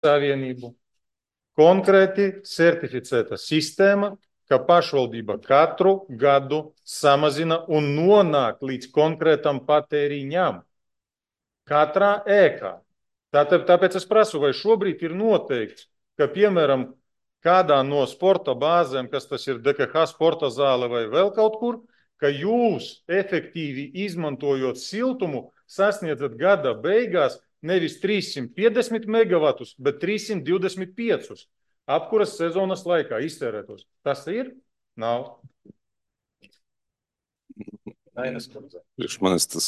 Savienību konkrēti certificēta sistēma, ka pašvaldība katru gadu samazina un nonāk līdz konkrētam patēriņam katrā ēkā. Tāpēc es prasu, vai šobrīd ir noteikts, ka, piemēram, kādā no sporta bāzēm, kas tas ir DKH sporta zāle vai vēl kaut kur, ka jūs efektīvi izmantojot siltumu sasniedzat gada beigās nevis 350 megavatus, bet 325 apkuras sezonas laikā iztērētos. Tas ir? Nav. Priekš manis tas...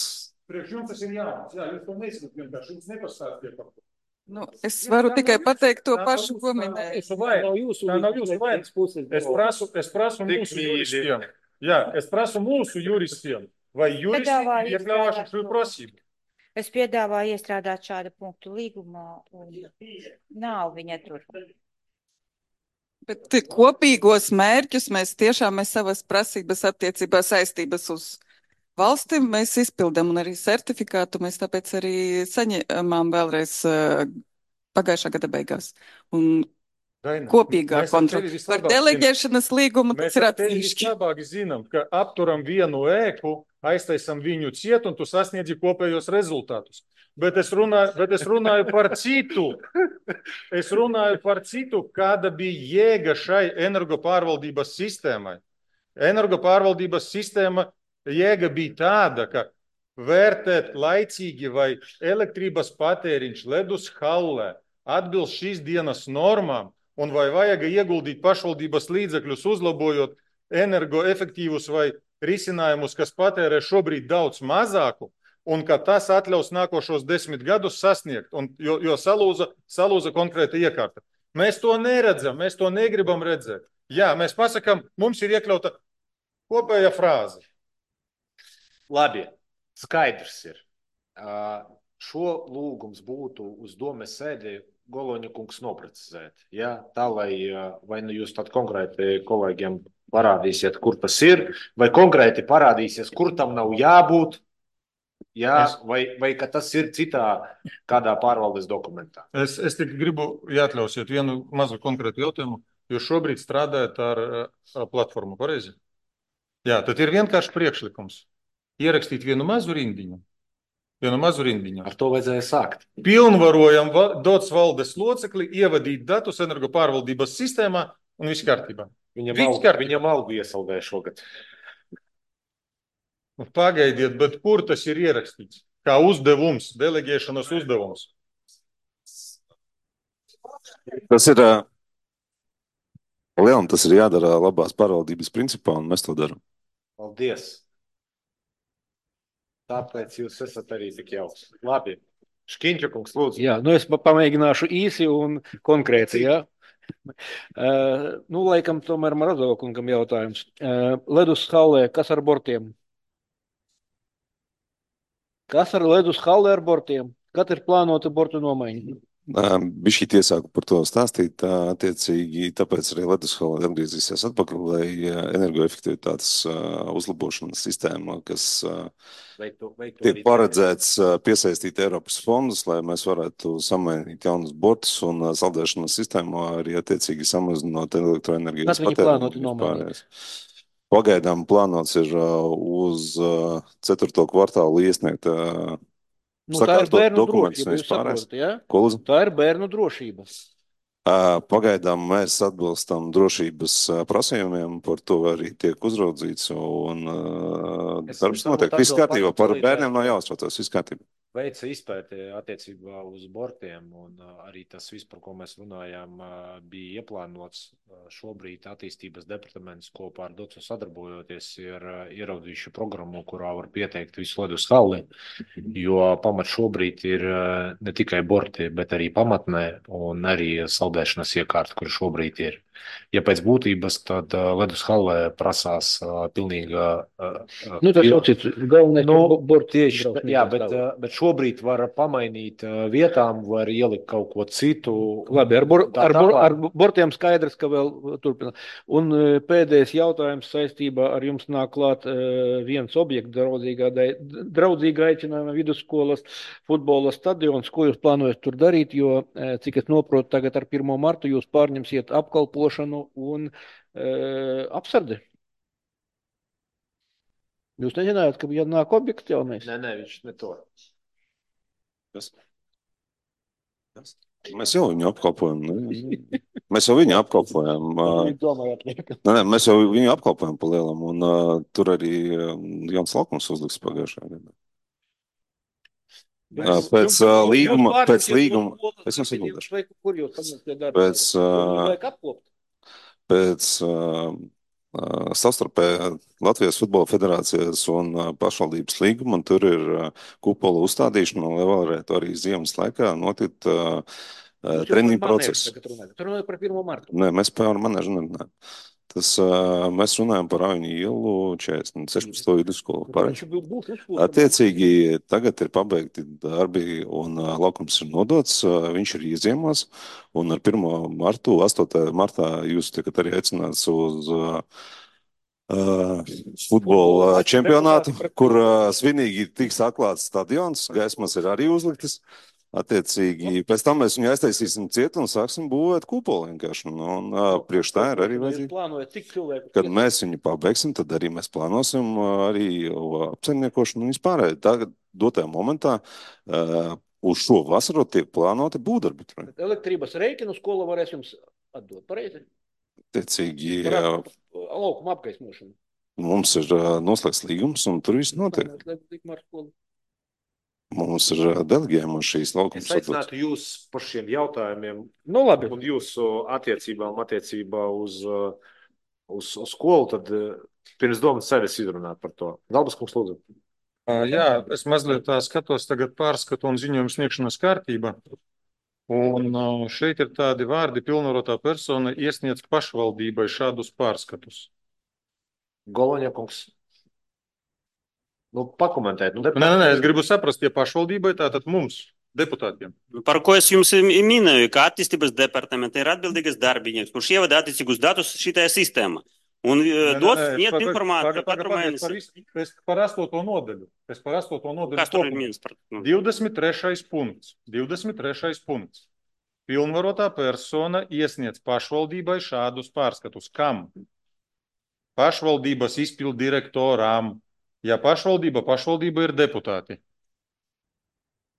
Priekš jums tas ir jauns. Jā, jūs to neizskat vienkārši. Jums nepastāstiet par to. Nu, es varu tikai pateikt to pašu, ko minēju. Tā nav jūsu vainas. Es prasu mūsu juristiem. Jā, es prasu mūsu juristiem. Vai juristi iekļāvāšu šo prasību? Es piedāvāju iestrādāt šādu punktu līgumā, un nav viņa tur. Bet kopīgos mērķus mēs savas prasības attiecībā saistības uz valstīm mēs izpildam, un arī certifikātu mēs tāpēc arī saņēmām vēlreiz pagājušā gada beigās. Un kopīgā kontrola. Par deleģēšanas līgumu tas ir atsevišķi. Mēs labāk zinām, ka apturam vienu ēku, aiztaisam viņu ciet, un tu sasniedzi kopējos rezultātus. Bet es runāju par citu. Es runāju par citu, kāda bija jēga šai energopārvaldības sistēmai. Energopārvaldības sistēma jēga bija tāda, ka vērtēt laicīgi, vai elektrības patēriņš ledus hallē atbilst šīs dienas normām, un vai vajag ieguldīt pašvaldības līdzekļus, uzlabojot energoefektīvus vai risinājumus, kas patērē šobrīd daudz mazāku, un ka tas atļaus nākošos 10 gadus sasniegt, jo salūza konkrēta iekārta. Mēs to neredzam, mēs to negribam redzēt. Jā, mēs pasakam, mums ir iekļauta kopēja frāze. Labi, skaidrs ir. Šo lūgums būtu uz domes sēdi Goloņa kungs noprecizēt. Ja? Tā, lai vai nu jūs tad konkrēti kolēģiem parādīsiet, kur tas ir, vai konkrēti parādīsies, kur tam nav jābūt, ja? vai ka tas ir citā kādā pārvaldes dokumentā. Es tik gribu, ja atļausiet, vienu mazu konkrētu jautājumu. Jūs šobrīd strādājat ar platformu, pareizi? Jā, tad ir vienkārši priekšlikums. Ierakstīt vienu mazu rindiņu. Ar to vajadzēja sākt. Pilnvarojam dots valdes locekli, ievadīt datus energopārvaldības sistēmā un viss kārtībā. Viņam algu iesaldēja šogad. Pagaidiet, bet kur tas ir ierakstīts? Kā uzdevums, deleģēšanas uzdevums? Tas ir lielam, tas ir jādara labās pārvaldības principā, un mēs to daram. Paldies! Tāpēc jūs esat arī tik jauks. Labi. Škiņķa kungs, lūdzu. Jā, es pamēģināšu īsi un konkrēti, jā. Laikam tomēr Marazova kungam jautājums. Ledus hallē, kas ar bortiem? Kas ar ledus hallē ar bortiem? Kad ir plānota bortu nomaiņa? Bišķīt iesāku par to stāstīt, attiecīgi, tāpēc arī ledus hallē atgriezīsies atpakaļ, lai energoefektivitātes uzlabošanas sistēma, kas tiek paredzēts piesaistīt Eiropas fondus, lai mēs varētu samainīt jaunus bortus un saldēšanas sistēmu arī attiecīgi samazinot elektroenerģijas patēriņu. Kad viņi plānoti nomainīt? Pagaidām plānots ir uz 4. kvartālu iesniegt tā ir bērnu drošība, jūs saprotat, ja? Tā ir bērnu drošība. Pagaidām mēs atbilstam drošības prasījumiem, par to arī tiek uzraudzīts, un darbs notiek. Viss kārtībā, par bērniem nav jāuztraucas, viss kārtībā. Veica izpēti attiecībā uz bortiem, un arī tas viss, par ko mēs runājām, bija ieplānots. Šobrīd attīstības departaments kopā ar DOCU sadarbojoties ir ieraudzījuši programmu, kurā var pieteikt visu ledus halli, jo pamat šobrīd ir ne tikai borti, bet arī pamatnē un arī saldēšanas iekārta, kur šobrīd ir. Ja pēc būtības, tad ledus hallē prasās pilnīga... tas jau cits, galvenais borti. Jā, bet šobrīd var pamainīt vietām, var ielikt kaut ko citu. Labi, ar bortiem skaidrs, ka vēl turpina. Un pēdējais jautājums saistībā ar jums nāk klāt viens objekts draudzīga aicinājuma vidusskolas futbola stadions. Ko jūs plānojat tur darīt, jo, cik es noprotu, tagad ar 1. martu jūs pārņemsiet apkalpošanu un apsardi? Jūs nezinājāt, ka ja nāk objekts jaunais? Nē, viņš ne to. Kas? Mēs jau viņu apkalpojam. Mēs jau viņu apkalpojam. Mēs jau viņu apkalpojam pa lielam, un tur arī Jans Laukums uzliks pagājušajā gadā. Pēc līguma, es jums atbildēšu. Kur jūs pamatījāt? Pēc savstarpējā Latvijas Futbola Federācijas un pašvaldības līguma, un tur ir kupola uzstādīšana, lai varētu arī ziemas laikā notikt treniņu process. Tur runāja par 1. martu. Nē, mēs par manēžu nerunājam. Mēs runājam par Aviņu ielu 16. vidusskolu. Attiecīgi, tagad ir pabeigti darbi un laukums ir nodots, viņš ir ieziemās, un ar 1. martu, 8. martā jūs tikat arī aicināts uz futbola čempionātu, kur svinīgi tiks atklāts stadions, gaismas ir arī uzliktas. Attiecīgi, pēc tam mēs viņu aiztaisīsim ciet un sāksim būvēt kupolu vienkārši. Un priekš tā ir arī vajadzīgi. Kad mēs viņu pabeigsim, tad arī mēs plānosim arī apsaimniekošanu un vispārēji. Tagad dotajā momentā uz šo vasaru tiek plānoti būvdarbi. Elektrības rēķinu skola varēs jums atdot, pareizi? Attiecīgi, laukuma apgaismošanu. Mums ir noslēgts līgums un tur viss notiek. Mums ir delegējama šīs laukums. Es aicinātu jūs par šiem jautājumiem labi. Un jūsu attiecībā uz skolu, tad pirms domas sevis izrunāt par to. Galbas kungs, lūdzu. Jā, es mazliet tā skatos tagad pārskatu un ziņojumu sniegšanas kārtība. Un šeit ir tādi vārdi: pilnvarotā persona iesniedz pašvaldībai šādus pārskatus. Goloņa kungs. Pakomentēt. Nē, es gribu saprast, ja pašvaldībai, tātad mums, deputātiem. Par ko es jums minēju, ka attīstības departamenta ir atbildīgas darbinieks, kurš ievada attiecīgus datus šitajā sistēmā. Un sniedz informāciju katru mēnesi. Par 8. nodaļu. Kas tur ir minēts? 23. punkts. 23. punkts. Pilnvarotā persona iesniedz pašvaldībai šādus pārskatus. Kam? Pašvaldības izpildu direktoram. Ja pašvaldība ir deputāti.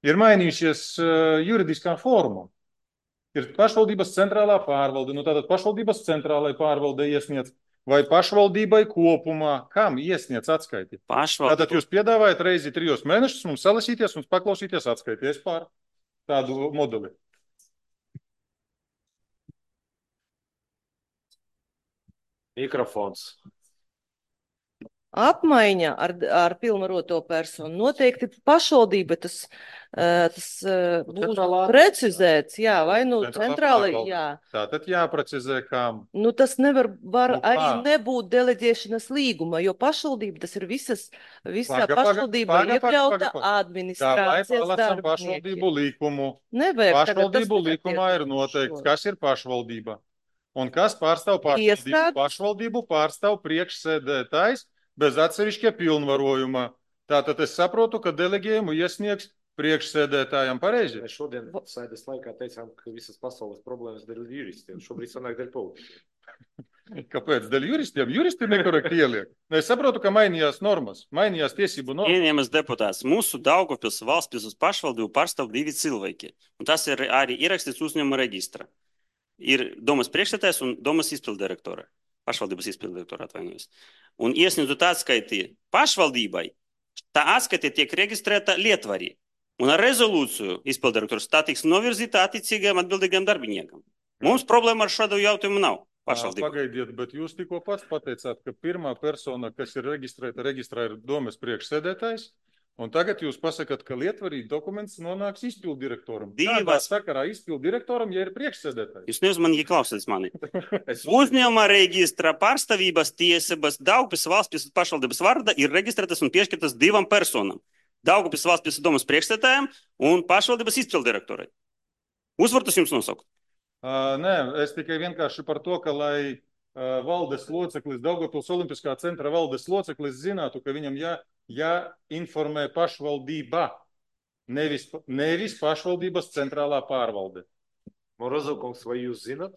Ir mainījušies juridiskā forma. Ir pašvaldības centrālā pārvalde. Tātad pašvaldības centrālai pārvalde iesniedz vai pašvaldībai kopumā. Kam iesniedz atskaiti? Tātad jūs piedāvājat reizi 3 mēnešus mums salasīties un paklausīties atskaities pār tādu modeli. Mikrofons. Apmaiņa ar pilnvaroto personu. Noteikti pašvaldība tas būs precizēts, jā, vai centrāli, jā. Tātad jāprecizē, kam. Tas var arī nebūt deleģēšanas līguma, jo pašvaldība, tas ir visā pašvaldība iekļauta administrācijas darbinieki. Pašvaldību līkumu. Nevajag. Pašvaldību līkumā ir noteikts, kas ir pašvaldība. Un kas pārstāv pašvaldību? Pašvaldību pārstāv priekšsēdētājs bez atsevišķa pilnvarojuma. Tātad es saprotu, ka delegējumu iesniegs priekšsēdētājam pareizi. Mēs šodien sēdes laikā teicām, ka visas pasaules problēmas dēļ juristiem. Šobrīd sanāk dēļ politiķiem. Kāpēc? Dēļ juristiem? Juristi nekorekti ieliek. Es saprotu, ka mainījās normas, mainījās tiesību normas. Ieņemas deputāts. Mūsu Daugavpils valsts pašvaldību pārstāv 2 cilvēki. Un tas ir arī ierakstīts uzņēmuma reģistra. Ir domas priekšsēdētājs un domas izpildirektora. Pašvaldības izpildirektora atvainojas. Un iesniedzot atskaiti pašvaldībai, tā atskaite tiek reģistrēta Lietvarī. Un ar rezolūciju izpildirektors tā tiks novirzīta attiecīgajiem atbildīgiem darbiniekam. Mums problēma ar šādu jautājumu nav. Pagaidiet, bet jūs tikko pats pateicāt, ka pirmā persona, kas ir reģistrā ir domas priekšsēdētājs. Un tagad jūs pasakāt, ka Lietvarī dokuments nonāks izpildirektoram. Kādā sakarā izpildirektoram, ja ir priekšsēdētājs? Jūs neuzmanīgi klausāties mani. Uzņēmuma reģistra pārstāvības tiesības Daugavpils valsts pašvaldības vārdā ir reģistrētas un piešķirtas 2 personām. Daugavpils valsts pilsētas domas priekšsēdētājam un pašvaldības izpilddirektorai. Uzvartus jums nosaukt? Nē, es tikai vienkārši par to, ka lai valdes loceklis, Daugavpils Olimpiskā centra valdes loceklis zinātu, ka viņam jāinformē pašvaldība, nevis pašvaldības centrālā pārvalde. Morozovkungs, vai jūs zināt?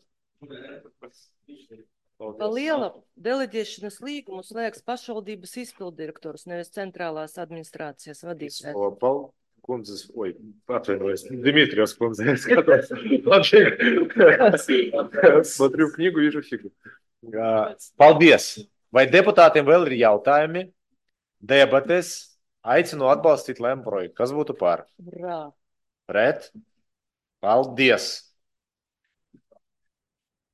Pa liela deleģēšanas līgumu slēgs pašvaldības izpilddirektors, nevis centrālās administrācijas vadītājs. Kundzes, atvainojos, Дмитриевs kundze, skatos. Смотрю книгу, вижу фигу. Paldies! Vai deputātiem vēl ir jautājumi? Debates. Aicinu atbalstīt lēmumu projektu. Kas būtu par? Brā. Pret? Paldies!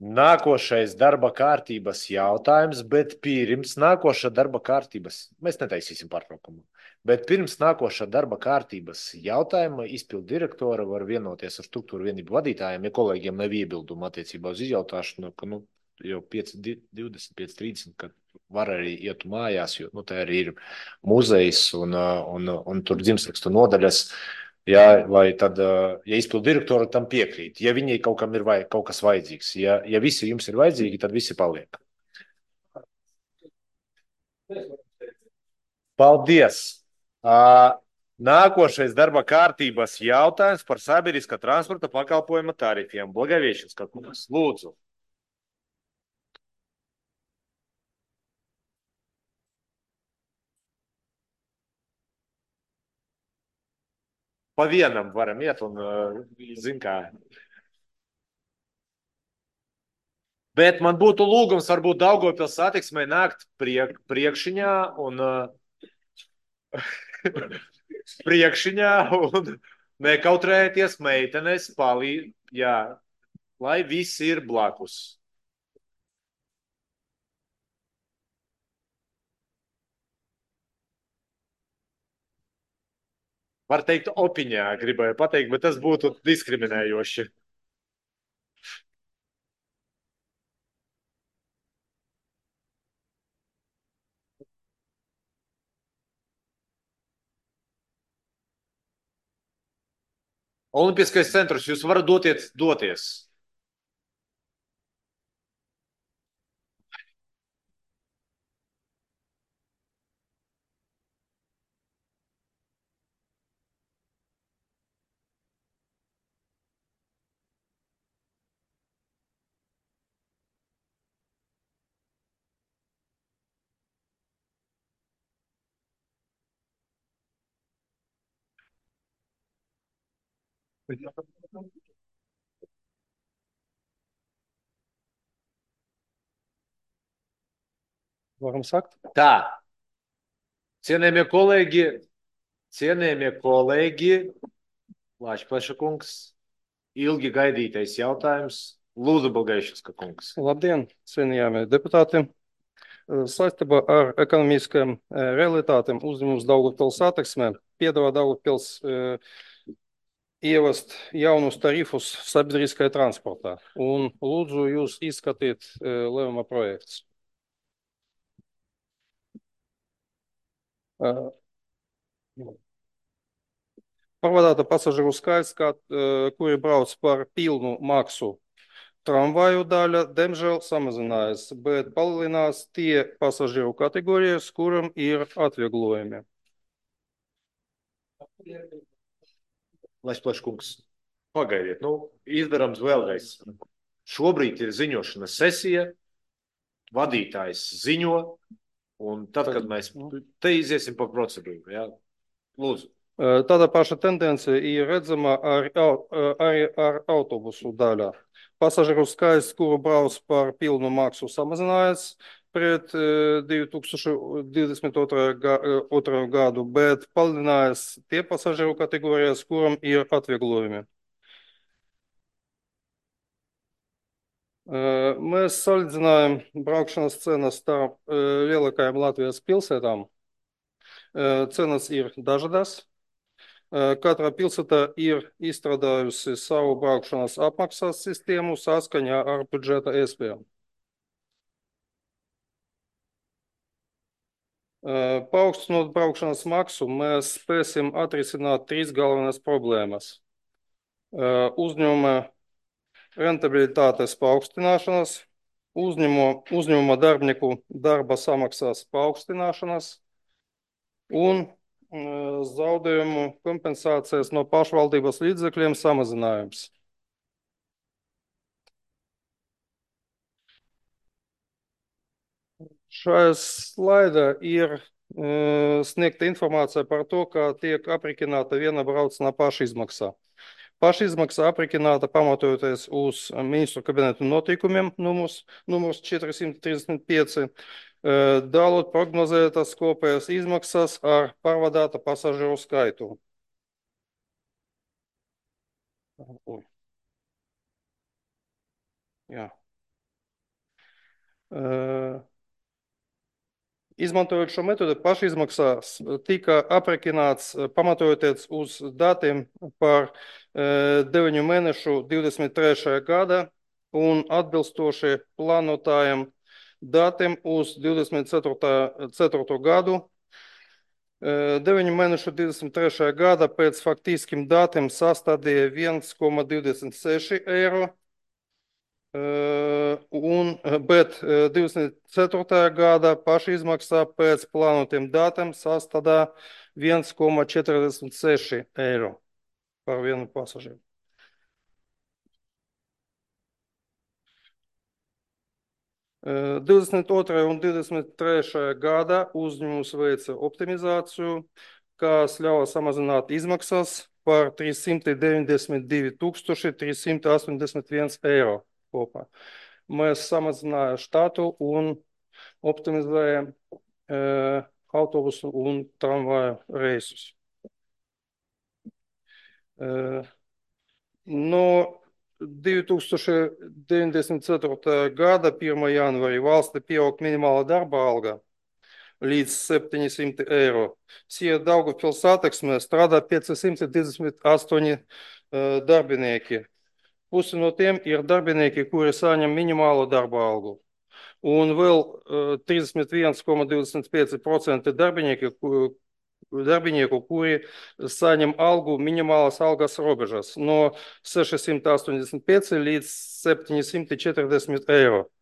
Nākošais darba kārtības jautājums, bet pirms nākošā darba kārtības, mēs netaisīsim pārtraukumu, bet pirms nākošā darba kārtības jautājuma izpildu direktora var vienoties ar struktūru vienību vadītājiem, ja kolēģiem nav iebildumu attiecībā uz izjautāšanu, ka jau 5:20, 5:30, kad var arī iet mājās, jo tā arī ir muzejs un tur dzimstrakstu nodaļas. Ja, vai tad, ja izpildu direktori tam piekrīt, ja viņai kaut kam ir kaut kas vajadzīgs, ja visi jums ir vajadzīgi, tad visi paliek. Paldies! Nākošais darba kārtības jautājums par sabiedriskā transporta pakalpojuma tarifiem. Благовещенsk kungs, lūdzu. Pa vienam varam iet un zin kā. Bet man būtu lūgums varbūt Daugavpils satiksmei nākt priekšiņā un nekautrēties meitenes lai visi ir blakus. Var teikt, opiņā gribēju pateikt, bet tas būtu diskriminējoši. Olimpiskais centrs, jūs varat doties. Varam sakt? Tā. Cienējamie kolēģi, Lāčplaša kungs, ilgi gaidītais jautājums. Lūdzu, Благовещенska kungs. Labdien, cienījamie deputāti. Saistībā ar ekonomiskajām realitātēm uzņēmums Daugavpils satiksmē piedāvā Daugavpils ievest jaunus tarifus sabiedriskajā transportā. Un lūdzu jūs izskatīt lēmuma projekts. Pārvadāta pasažieru skaits, kuri brauc par pilnu maksu tramvaju daļa, diemžēl samazinājās, bet palielinās tie pasažieru kategorijas, kuram ir atvieglojumi. Lāčplaša kungs, pagaidiet, izdarams vēlreiz. Šobrīd ir ziņošanas sesija, vadītājs ziņo, un tad, kad mēs te iziesim pa procedūru, jā, lūdzu. Tāda paša tendencija ir redzama arī ar autobusu daļā. Pasažieru skaits, kuru brauc par pilnu maksu, samazinājās pret 2022. gadu, bet palielinājās tie pasažieru kategorijas, kuram ir atvieglojumi. Mēs salīdzinājām braukšanas cenas starp lielākajām Latvijas pilsētām. Cenas ir dažādas. Katra pilsēta ir izstrādājusi savu braukšanas apmaksas sistēmu saskaņā ar budžeta iespējām. Paaugstinot braukšanas maksu, mēs spēsim atrisināt 3 galvenās problēmas. Uzņēmuma rentabilitātes paaugstināšanas, uzņēmuma darbinieku darba samaksas paaugstināšanas un zaudējumu kompensācijas no pašvaldības līdzekļiem samazinājums. Šajā slaidā ir sniegta informācija par to, kā tiek aprēķināta viena brauciena pašizmaksa. Pašizmaksa aprēķināta pamatojoties uz ministru kabineta noteikumiem numurs 435, dalot prognozētas kopējās izmaksas ar pārvadāta pasažieru skaitu. Jā. Izmantojot šo metodi, pašizmaksas tika aprēķināts pamatojoties uz datiem par 9 mēnešu 23. gada un atbilstoši plānotājiem datiem uz 24. gadu. 9 mēnešu 23. gada pēc faktiskiem datiem sastādīja 1,26 eiro. Bet 24. gada pašizmaksā pēc plānotiem datiem sastādā 1,46 eiro par vienu pasažieru. Uh, 22. un 23. gadā uzņēmums veica optimizāciju, kas ļauj samazināt izmaksas par 392 381 eiro. Kopā. Mēs samazinājām štatu un optimizējām autobusu un tramvaju reisus. No 2094. gada 1. janvārī valstī pieaug minimāla darba alga līdz 700 eiro. Daugavpils Satiksmē strādā 528 darbinieki. Pusi no tiem ir darbinieki, kuri saņem minimālo darba algu. Un vēl 31,25% darbinieku, kuri saņem algu minimālas algas robežas no 685 līdz 740 eiro.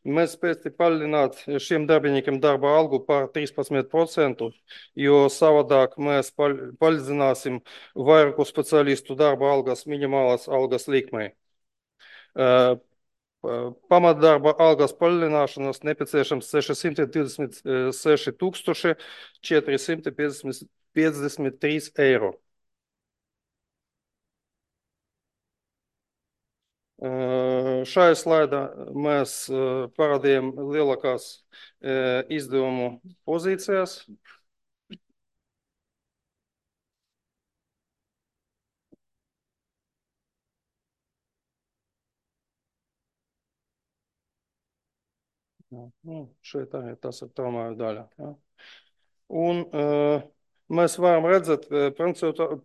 Mēs spēsim palielināt šiem darbiniekiem darba algu par 13%, jo savādāk mēs palīdzināsim vairāku speciālistu darba algas minimālas algas likmei. Pamatdarba algas palielināšanas nepieciešams 626 453 eiro. Šajā slaidā mēs parādījām lielākās izdevumu pozīcijas. Šeit arī tas ir tramvaju daļa. Ja. Un mēs varam redzēt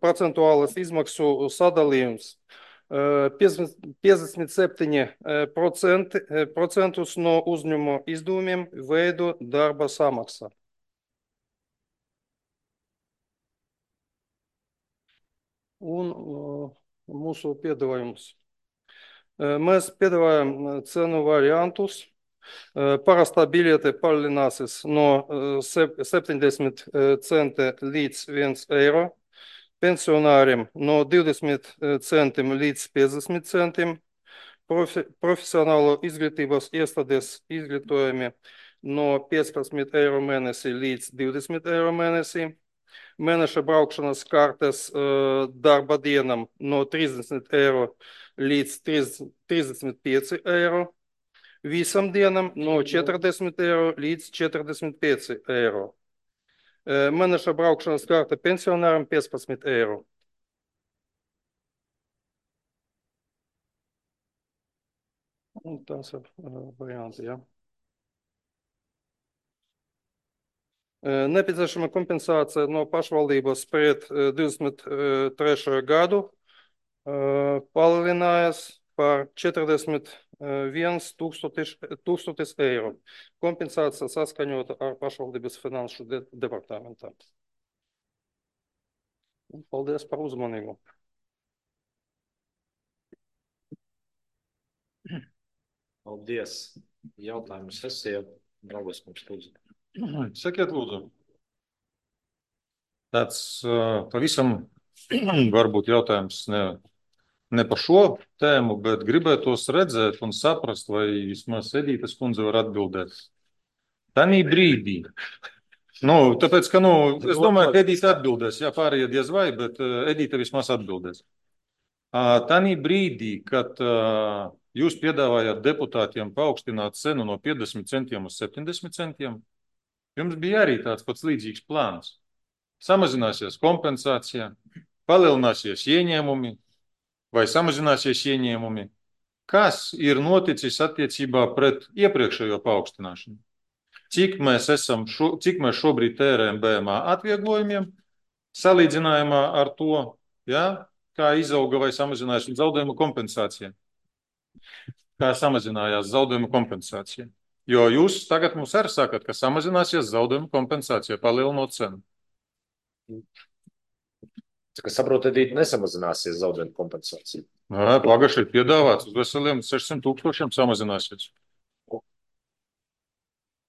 procentuālas izmaksu sadalījums. 57% no uzņēmuma izdevumiem veido darba samaksa. Un mūsu piedāvājums. Mēs piedāvājam cenu variantus. Parastā biļete palielināsies no 70 centi līdz 1 eiro. Pensionāriem no 20 centiem līdz 50 centiem, profesionālo izglītības iestādes izglītojumi no 15 eiro mēnesī līdz 20 eiro mēnesī, mēneša braukšanas kartes darba dienam no 30 eiro līdz 35 eiro, visam dienam no 40 eiro līdz 45 eiro. Mēneša braukšanas karte pensionāram 15 eiro. Un tas ir varianti, ja. Nepieciešama kompensācija no pašvaldības pret 23. gadu palielinājās par 41 tūkstotis eiro. Kompensācija saskaņota ar pašvaldības finanšu departamentu. Paldies par uzmanību. Paldies. Jautājumu sesija. Draugos mums lūdzu. Sakiet, lūdzu. Tāds pavisam varbūt jautājums ne par šo tēmu, bet gribētos redzēt un saprast, vai vismaz Edītas kundze var atbildēt. Tanī brīdī. Tāpēc, ka, es domāju, ka Edīta atbildēs, jā, pārējie diez vai, bet Edīta vismaz atbildēs. Tanī brīdī, kad jūs piedāvājāt deputātiem paaugstināt cenu no 50 centiem uz 70 centiem, jums bija arī tāds pats līdzīgs plāns. Samazināsies kompensācija, palielināsies ieņēmumi vai samazināsies ieņēmumi. Kas ir noticis attiecībā pret iepriekšējo paaugstināšanu? Cik mēs šobrīd tērējam BMA atvieglojumiem, salīdzinājumā ar to, ja, kā izauga vai samazinājās zaudējumu kompensācija? Kā samazinājās zaudējumu kompensācija? Jo jūs tagad mums arī sakat, ka samazināsies zaudējumu kompensācija, palielinot cenu. Kā saprotu, Edīte, nesamazināsies zaudējumu kompensācija. Pagaši ir piedāvāts uz veseliem 600 000 samazināsies.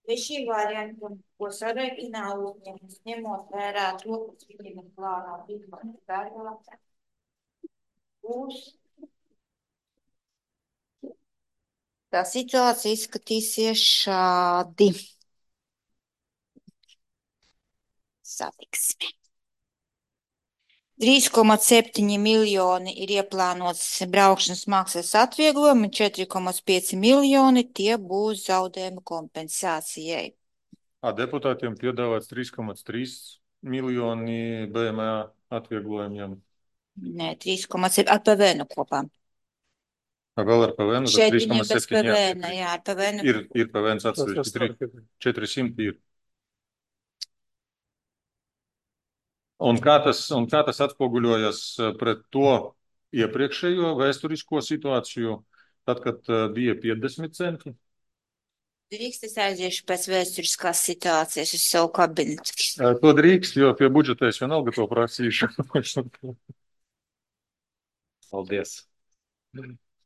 Vai šī varianta, ko sarēķinā uzņēmums, ņemot vērā to, kas viņiem ir plānā darbā, būs? Tā situācija izskatīsies šādi. Satiksme. 3,7 miljoni ir ieplānots braukšanas maksas atvieglojumi, 4,5 miljoni tie būs zaudējuma kompensācijai. Deputātiem piedāvāts 3,3 miljoni BMA atvieglojumiem. Nē, 3,7 ar PVN kopā. Vēl ar PVN? Šeit viņiem bez PVN, jā, ar PVN. Ir PVN atsevišķi, 400 ir. Un kā tas atspoguļojas pret to iepriekšējo vēsturisko situāciju, tad, kad bija 50 centi? Drīkst es aiziešu pēc vēsturiskās situācijas uz savu kabinetu. To drīkst, jo pie budžeta es vienalga to prasīšu. Paldies.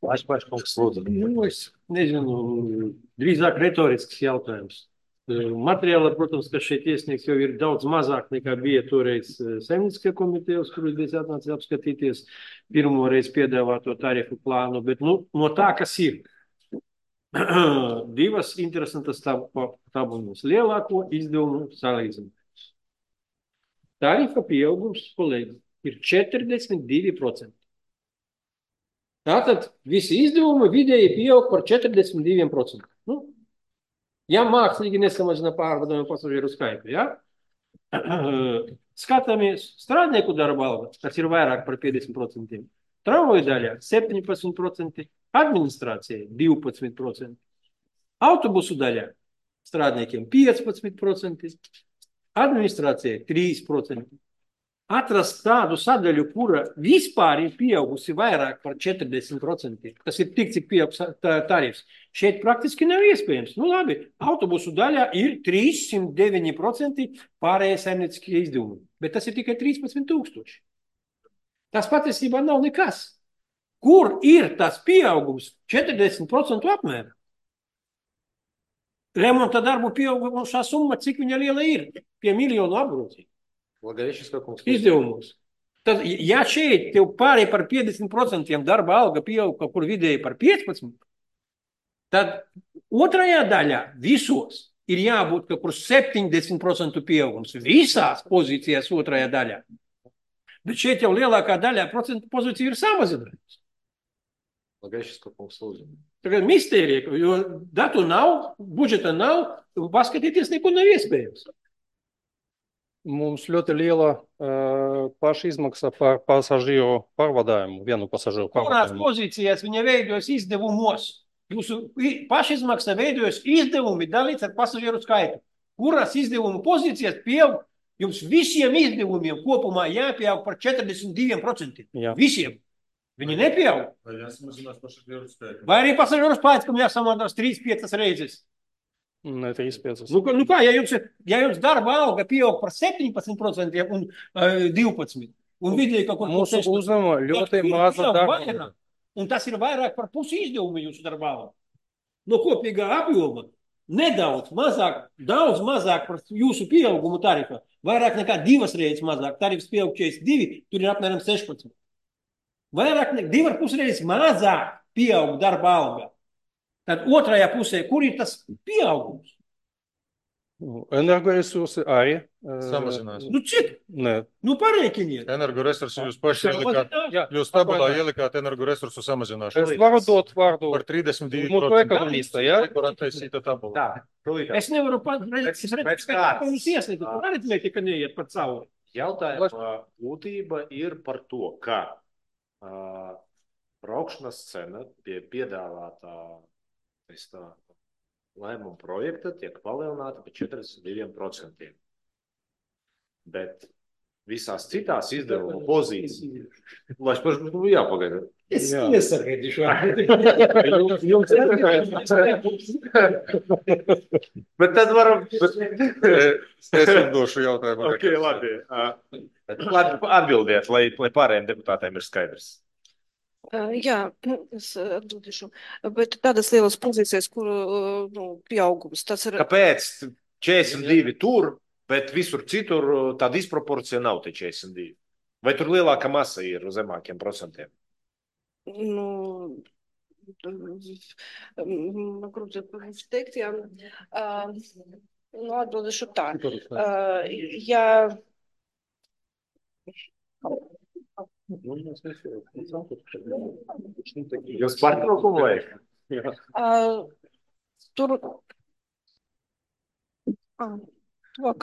Paškungs, lūdzu. Es nezinu, drīzāk retorisks jautājums. Materiāli, protams, kas šeit iesniegs, jau ir daudz mazāk nekā bija toreiz Saimnieciskajā komitejā, uz kurus bija atnācis apskatīties pirmo reizi piedāvāto tarifu plānu, bet no tā, kas ir. Divas interesantas tabulas. Lielāko izdevumu salīdzinājums. Tarifa pieaugums, kolēģi, ir 42%. Tātad visi izdevumi vidēji pieaug par 42%. Ja mākslīgi nesamazina pārvadojumu pasažieru skaitu, ja? Skatāmies strādnieku darba alga, kas ir vairāk par 50%, tramvaju daļā 17%, administrācijai 12%, autobusu daļā strādniekiem 15%, administrācijai 3%. Atrast tādu sadaļu, kura vispār ir pieaugusi vairāk par 40%, tas ir tik, cik pieaug tarifs, šeit praktiski nav iespējams. Labi, autobusu daļā ir 309% pārējie saimnieciskie izdevumi, bet tas ir tikai 13 000. Tas patiesībā nav nekas. Kur ir tas pieaugums 40% apmērā? Remonta darbu pieaugušā summa, cik viņa liela ir? Pie miljonu apgrozīt. Izdevumos. Tad, ja šeit tev pārēj par 50% darba alga pieaug kaut kur vidēji par 15%, tad otrajā daļā visos ir jābūt kaut kur 70% pieaugums. Visās pozīcijās otrajā daļā. Bet šeit jau lielākā daļā procentu pozīcija ir samazinājusi. Tagad mistērija, jo datu nav, budžeta nav, paskatīties neko nav iespējams. Mums ļoti liela pašizmaksa par pasažieru pārvadājumu, vienu pasažieru pārvadājumu. Kurās pozīcijās viņa veidojas izdevumos? Jūsu pašizmaksa veidojas izdevumi dalīts ar pasažieru skaitu. Kurās izdevumu pozīcijās pieaug? Jums visiem izdevumiem kopumā jāpieaug par 42%. Jā. Visiem. Viņi nepieaug. Vai jāsamazinās pasažieru skaits? Vai arī pasažieru skaits, kam jāsamādās 3-5 reizes? Ne 3-5. Nu kā, ja jums darba alga pieaug par 17% un 12%, un vidēji kaut kur Mūsu uzņēmumā ļoti maza darba. Un tas ir vairāk par pusi izdevumu jūsu darba alga. No kopīgā apjoma nedaudz mazāk, daudz mazāk par jūsu pieaugumu tarifa. Vairāk nekā 2 reizes mazāk. Tarifs pieaug 42, tur ir apmēram 16. Vairāk nekā 2,5 reizes mazāk pieaug darba alga. Tad otrajā pusē, kur ir tas pieaugums? Energoresursi arī Samazinās. Nu cik? Nē. Nu pareikiniet. Energoresursi jūs paši ielikāt. Jūs tabulā ielikāt energoresursu samazināšanu. Es varu dot vārdu Par 32%. mūsu ekonomista, ja? Kur attaisīta tabula. Es nevaru pateikt, ka jūs ieslīdat. Tur aritmētika neiet par cauri. Jautājuma būtība ir par to, ka braukšanas cena pie piedāvātā lēmuma projekta tiek palielināta par 42%. Bet visās citās izdevuma pozīcijas, lai es pašu jāpagaida. Es iesargēdīšu. Bet tad varam... Es došu jautājumu. Ok, labi. Labi atbildiet, lai pārējiem deputātiem ir skaidrs. Jā, es atbildīšu. Bet tādas lielas pozīcijas, kur pieaugums, tas ir... Kāpēc 42 tur, bet visur citur tā disproporcija nav te 42? Vai tur lielāka masa ir uz zemākiem procentiem? Nu, grūti teikt, jā. Nu, atbildīšu tā. Ja... Jūs pārtraukumu vajag? Tur... Lūk.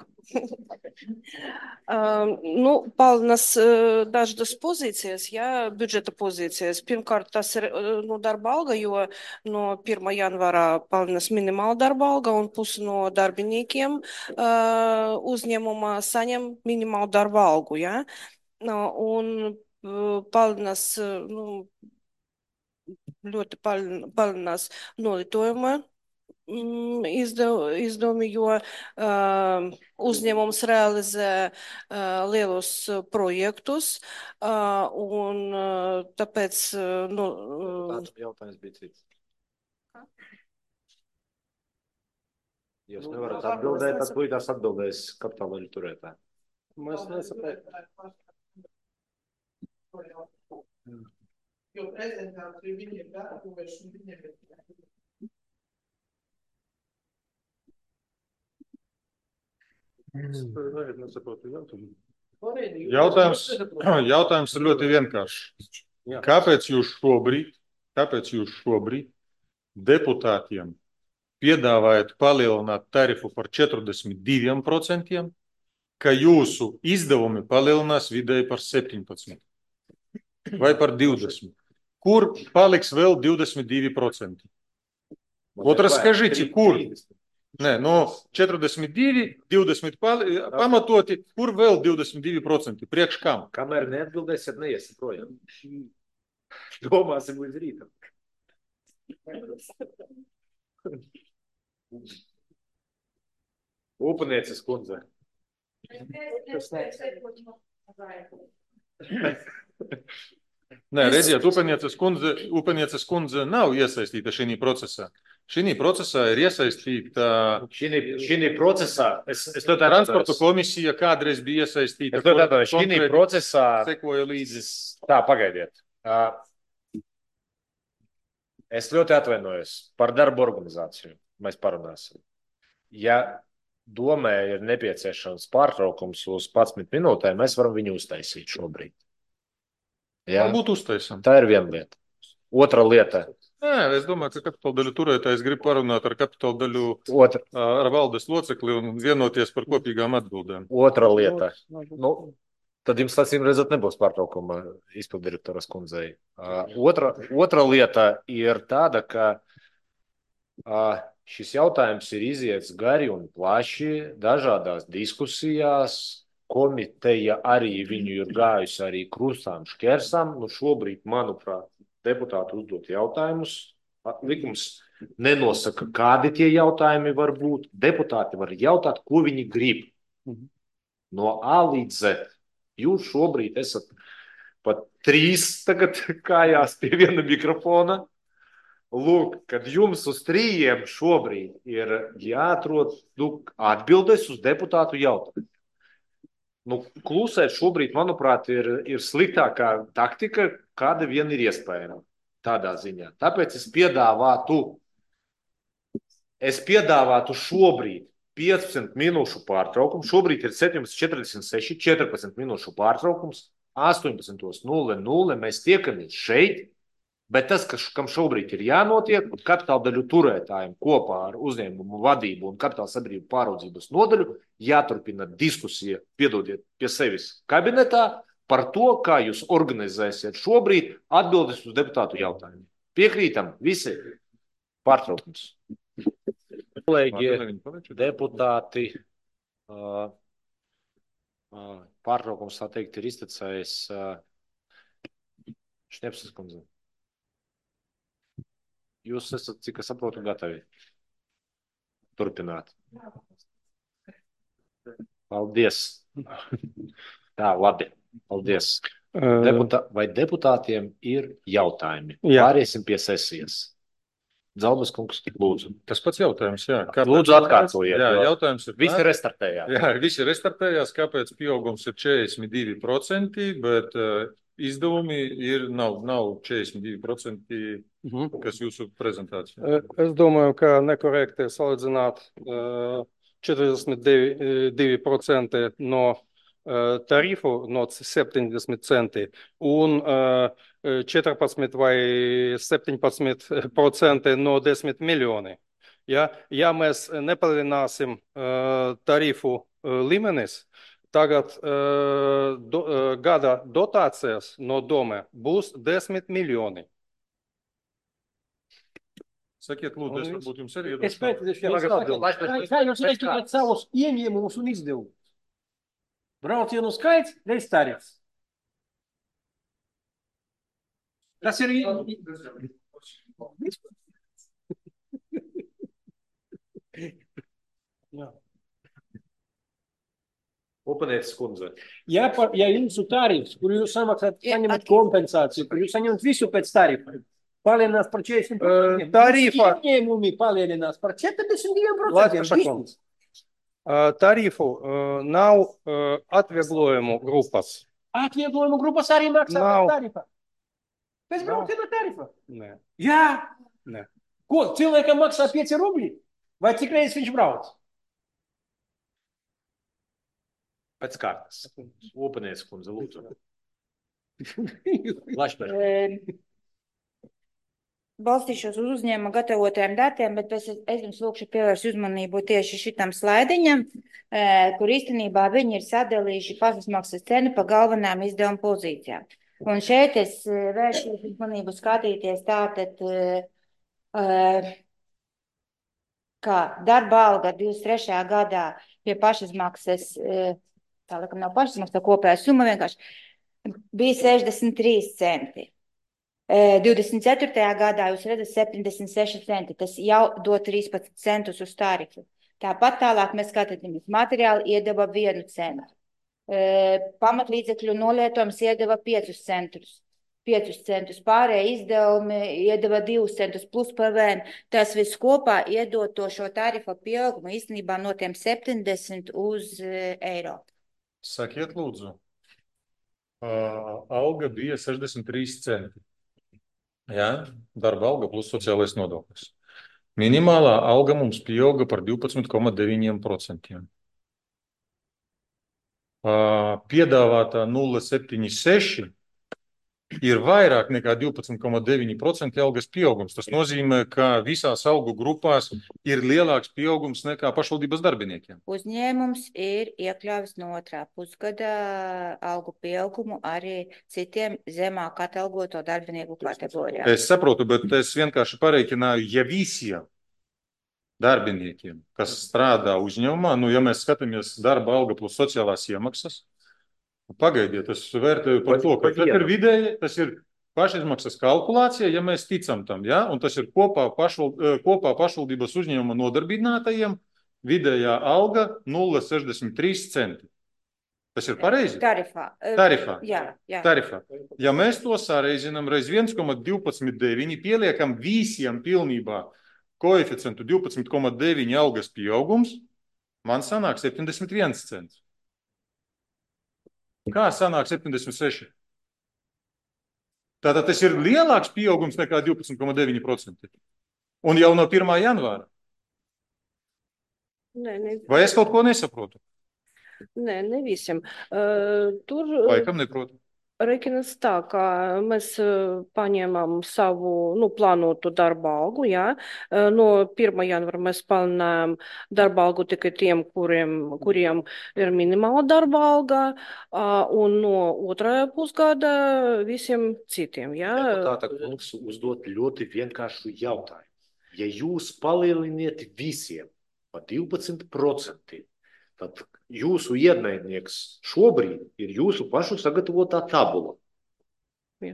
Nu, palielinās dažas pozīcijas, jā, budžeta pozīcijas. Pirmkārt, tas ir darba alga, jo no 1. janvārā palielinās minimāla darba alga un pusi no darbiniekiem uzņēmumā saņem minimālu darba algu, jā. Un palielinās, ļoti palielinās nolitojuma izdevumi, jo uzņēmums realizē lielus projektus, un tāpēc... Jautājums bija cits. Jūs nevarat atbildēt, tad līdās atbildēs kapitāla daļu turētāji. Mēs nesaprētam. Jo prezentāciju viņiem gatavojuši un viņiem ir. Jautājums ir ļoti vienkāršs. Kāpēc jūs šobrīd deputātiem piedāvājat palielināt tarifu par 42%, ka jūsu izdevumi palielinās vidēji par 17% vai par 20%? Kur paliks vēl 22%? Вот расскажите, kur? Nē, no 42, 20 pamatoti, kur vēl 22%? Priekš kam? Kamēr neatbildēsiet, neiesim projām. Domāsim līdz rītam. Upanieces kundze. Nē, redziet, Upanieces kundze nav iesaistīta šī procesā. Šī procesā ir iesaistīta... Šī procesā... Transporta komisija kādreiz bija iesaistīta. Šī procesā... Sekoja līdzi. Tā, pagaidiet. Es ļoti atvainojos par darbu organizāciju. Mēs parunāsim. Ja domē ir nepieciešams pārtraukums uz 11 minūtēm, mēs varam viņu uztaisīt šobrīd. Jā? Varbūt uztaisam. Tā ir viena lieta. Otra lieta. Nē, es domāju, ka kapitāla daļu turētājs grib parunāt ar kapitāla daļu ar valdes locekli un vienoties par kopīgām atbildēm. Otra lieta. Nu, tad jums acīm redzot nebūs pārtraukuma izpildirektoras kundzei. Otra lieta ir tāda, ka šis jautājums ir iziets gari un plaši dažādās diskusijās komiteja arī viņu ir gājusi arī krustām šķērsām. Nu, šobrīd, manuprāt, deputāti uzdot jautājumus. Likums nenosaka, kādi tie jautājumi var būt. Deputāti var jautāt, ko viņi grib. No A līdz Z. Jūs šobrīd esat pat 3 tagad kājās pie viena mikrofona. Lūk, kad jums uz 3 šobrīd ir jāatrod atbildes uz deputātu jautājumu. Klusēt šobrīd, manuprāt, ir sliktākā taktika, kāda vien ir iespējama tādā ziņā. Tāpēc es piedāvātu šobrīd 15 minūšu pārtraukumu. Šobrīd ir 17:46, 14 minūšu pārtraukums. 18:00 mēs tiekamies šeit. Bet tas, kam šobrīd ir jānotiek, kapitāla daļu turētājiem kopā ar uzņēmumu vadību un kapitāla sabiedrību pāraudzības nodaļu jāturpina diskusija, piedodiet, pie sevis kabinetā par to, kā jūs organizēsiet šobrīd atbildes uz deputātu jautājumiem. Piekrītam visi. Pārtraukums. Kolēģi, deputāti, pārtraukums, tā teikt, ir iztecējis. Šnepsas kundze. Jūs esat, cik es saprotu, gatavi turpināt. Paldies. Tā, labi. Paldies. Vai deputātiem ir jautājumi? Jā. Pāriesim pie sesijas. Dzalbas kungs, lūdzu. Tas pats jautājums, jā. Lūdzu, atkārtojiet. Jā, jautājums ir. Visi restartējās. Jā, visi restartējās. Kāpēc pieaugums ir 42%, bet izdevumi nav 42%, kas jūsu prezentācijā? Es domāju, ka nekorekti salīdzināt 42% no tarifu no 70 centi un 14 vai 17% no 10 miljoni. Ja mēs nepalielināsim tarifu līmenis, tagad gada dotācijas no doma būs 10 miljoni. Sakiet, lūdzu, es varbūt jums arī Es pētīšu, kā jūs reiķināt savus ieņēmumus un izdevumus? Braucienu skaits, reiz tarifs. Tas ir... Upanietis kundze. Ja jūsu tarifs, kur jūs samaksāt, saņemat kompensāciju, kur jūs saņemat visu pēc tarifa, palielinās par 40%. Tarifa. Ieņēmumi palielinās par 42%. Tarifu nav atvieglojumu grupas. Atvieglojumu grupas arī maksā Nav. tarifa. Pēc brauciena tarifa. Nē. Jā. Nē. Ko, cilvēkam maksā 5 rubļi? Vai cik reizes viņš brauc? Pēc kārtas. Upanietis kundze, lūdzu. Lašpēr. Balstīšos uz uzņēmuma gatavotajiem datiem, bet es jums lūkšu pievērst uzmanību tieši šitam slaidiņam, kur īstenībā viņi ir sadalījuši pašizmaksas cenu pa galvenām izdevuma pozīcijām. Un šeit es vēršu uzmanību skatīties tātad, kā darba alga 23. gadā pie pašizmaksas, tā laikam nav pašizmaksas, tā kopējā summa vienkārši bija 63 centi. 24. gadā jūs redzat 76 centi, tas jau dod 13 centus uz tarifu. Tāpat tālāk mēs skatāmies materiāli iedeva 1 centu. Pamatlīdzekļu nolietojums iedeva 5 centus. Pārējie izdevumi iedeva 2 centus plus PVN. Tas viss kopā iedod to šo tarifa pieaugumu īstenībā no tiem 70 uz eiro. Sakiet, lūdzu, alga bija 63 centi. Jā, darba alga plus sociālais nodoklis. Minimālā alga mums pieauga par 12,9%. Piedāvātā 0,76 ir vairāk nekā 12,9% algas pieaugums. Tas nozīmē, ka visās algu grupās ir lielāks pieaugums nekā pašvaldības darbiniekiem. Uzņēmums ir iekļāvis no 2. pusgada algu pieaugumu arī citiem zemāk atalgoto darbinieku kategorijām. Es saprotu, bet es vienkārši pareiķināju, ja visiem darbiniekiem, kas strādā uzņēmumā, nu, ja mēs skatāmies darba alga plus sociālās iemaksas, pagaidiet, es vērtēju par to, ka tas ir vidēji, tas ir pašizmaksas kalkulācija, ja mēs ticam tam, ja? Un tas ir kopā pašvaldības uzņēmuma nodarbinātajiem vidējā alga 0,63 centi. Tas ir pareizi? Tarifā. Tarifā. Jā. Tarifā. Ja mēs to sareizinām reiz 1,12,9, pieliekam visiem pilnībā koeficientu 12,9 algas pieaugums, man sanāk 71 cents. Kā sanāk 76? Tātad tas ir lielāks pieaugums nekā 12,9%. Un jau no 1. janvāra. Vai es kaut ko nesaprotu? Nē, ne visiem. Tur Laikam neprotu. Reiķinās tā, ka mēs paņēmām savu plānotu darba algu, jā. No 1. janvara mēs palielinājām darba algu tikai tiem, kuriem ir minimāla darba alga, un no 2. pusgada visiem citiem, jā. Deputāta kungs uzdot ļoti vienkāršu jautājumu. Ja jūs palieliniet visiem pa 12%, tad jūsu ienaidnieks šobrīd ir jūsu pašu sagatavotā tabula,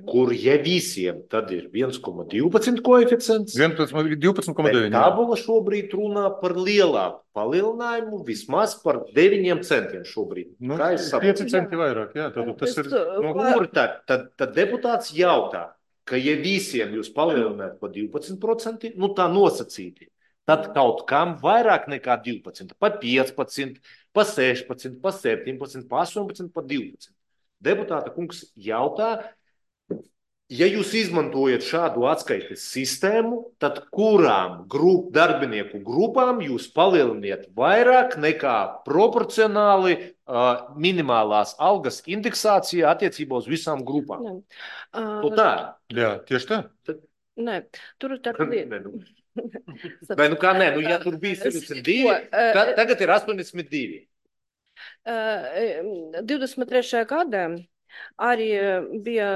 kur ja visiem tad ir 1,12 koeficients. 12,9. Tabula šobrīd runā par lielāku palielinājumu, vismaz par 9 centiem šobrīd. 5 centi vairāk, jā. Tad tas ir... Kur tad deputāts jautā, ka ja visiem jūs palielināt pa 12%, tā nosacīti, tad kaut kam vairāk nekā 12, pa 15, pa 16, pa 17, pa 18, pa 12. Deputāta kungs jautā, ja jūs izmantojat šādu atskaites sistēmu, tad kurām darbinieku grupām jūs palieliniet vairāk nekā proporcionāli minimālās algas indeksācija attiecībā uz visām grupām? Tā. Jā, tieši tā. Nē, tur ir tā lieta. Ja tur bija 72, tagad ir 82. 23. gadā arī bija